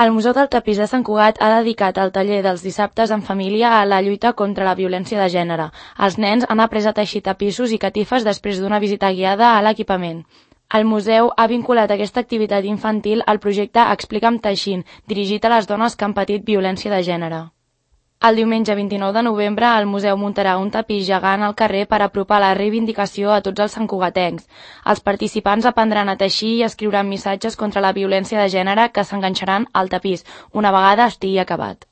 El Museu del Tapís de Sant Cugat ha dedicat el taller dels dissabtes en família a la lluita contra la violència de gènere. Els nens han après a teixir tapissos i catifes després d'una visita guiada a l'equipament. El museu ha vinculat aquesta activitat infantil al projecte Explica'm teixint, dirigit a les dones que han patit violència de gènere. El diumenge 29 de novembre el museu muntarà un tapís gegant al carrer per apropar la reivindicació a tots els santcugatencs. Els participants aprendran a teixir i escriuran missatges contra la violència de gènere que s'enganxaran al tapís una vegada estigui acabat.